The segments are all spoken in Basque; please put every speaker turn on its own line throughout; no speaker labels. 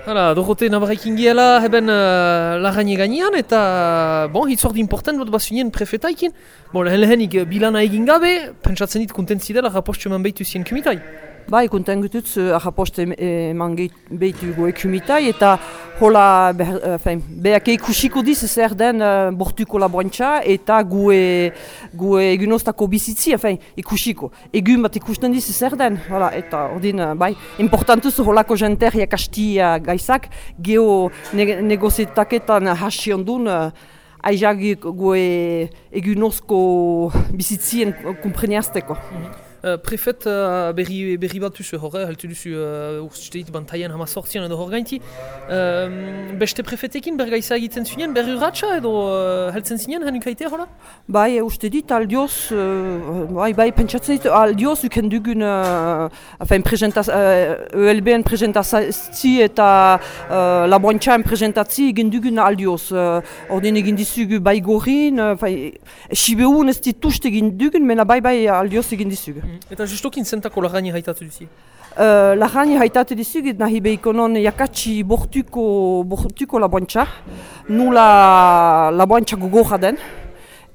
Hala, Dorote nabarrekin giela heben lagane gainean eta hitzordi important bat bazunien prefetaikin. Lehenik bilana egin gabe, pentsatzen dit kontentzi dela rapostu eman behitu zien kumitai.
Bai, konten gututz rapostu eman behitu goe kumitai eta hola behake ikusiko diz zer den bortuko laboantxa eta gue egunoztako bizitzi, ikusiko. Egun bat ikusten diz zer den, eta ordin, bai, importantuz holako jenter jakastia gaizak, geho negozitaketan hasi ondun, aizag gue egunozko bizitzien kompreniazteko.
Prefet berri bat duzu horre, haltu duzu urtsuteit bantaien hamazortzian edo hor gainti. Beste prefetekin bergaiza egiten zinen, berri urratxa edo heltzen zinen hanukaite hola?
Bai, uste dit aldioz, bai, pentsatzen dit aldioz uken dugun ELB-en presentazzi eta laboantxaen presentatzi egin dugun aldioz. Ordin egin dizugu bai gorin, sibeun ez ditust egin dugun, mena bai aldioz egin dizugu.
Eta justokin zentako lagani haitatu duzi?
Lagani haitatu dizugu nahi behikonon jakatsi bortuko laboantxa, nula laboantxa gogorra den.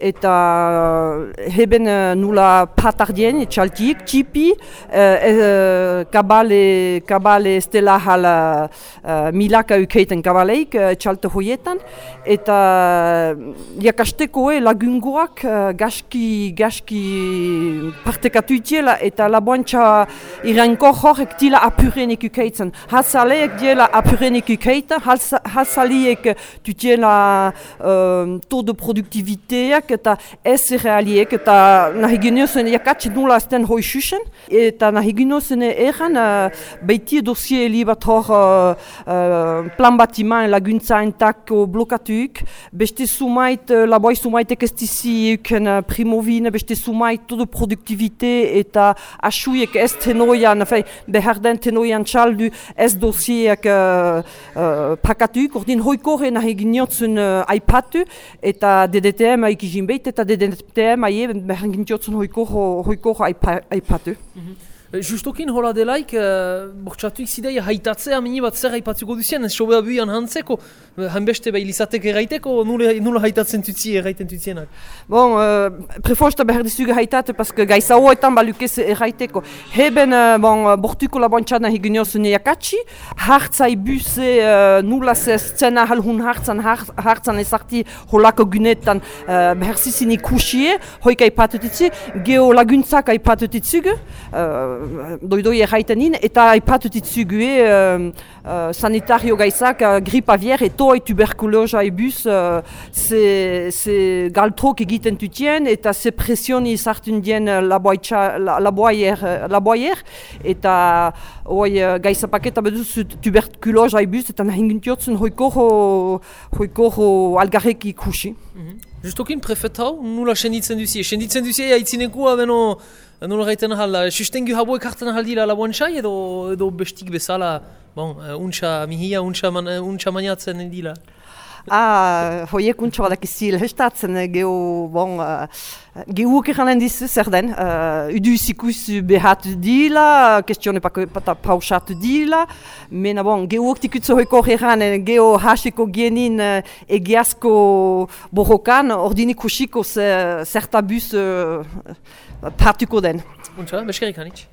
Eta heben nula patardien, txaltiek, txipi, kabale estela hala milaka ukeiten kabaleik, txalte hoietan. Eta jakasteko lagungoak gaski partekatu itiela eta laboantxa irankor horrek tila apurenik ukeitzen. Hatzaleek diela apurenik ukeiten, hatzaliek tutiela taux de produktiviteak, eta ez realiek eta nahi ginozen jakatsi nula azten hoi xuxen eta nahi ginozen eran behitie dosie li bat hor plan batiman laguntzaentako blokatuik, beste sumait laboi sumaitek ez dizi euken primovine, beste sumait todo produktivite eta asuiek ez tenoian, behar den tenoian txaldu ez dosieak pakatuik, ordin hoikorre nahi ginozen aipatu eta DDTM aikizin behit eta DDTM aie behar gintiotzen hoiko aipatu.
Justokin hola delaik, bortxatuik zidei haitatzea mini bat zer haipatzuko duzien, ez sobea buian hantzeko, hanbeste behilizatek erraiteko, nula haitatzen tutzi erraiten tutzienak?
Prefosta behar dizuge haitate, paske gaisa hoetan balukez erraiteko. Heben bortuko laboantxana higuniozen jakatsi, hartzai buse nula zena halhun hartzan ezarti holako gunetan behar zizin ikusie, hoik aipatutitzi, geho laguntzak aipatutitzuge, doidoi erraitenin, eta aipatutitzugue sanitario gaizak, grip avier, etoi tuberkulosa ebus, ze galtrok egiten tutien, eta ze presioni sartun dien laboaier, eta gaizapaketa beduz tuberkulosa ebus, eta nahingintiotzen hoikoro algarrek ikusi.
Justokin prefet hau, nula senditzen duzie? Senditzen duzie haitzinekua beno nola gaiten ahal, sustengu haboek hartzen ahal dira laboantxai edo bestik bezala, untxa mihia, untxa maniatzen dira?
Hoiek untxa badak izil hestatzen gehuok eranen dizu zer den, udu izikus behatu dila, kestione pausatu dila, mena gehuok tikutzo hoiko eranen, geho hasiko genin egiazko borrokan, ordini kusiko zertabuz partuko den.
Untxa, beskerik hanitz.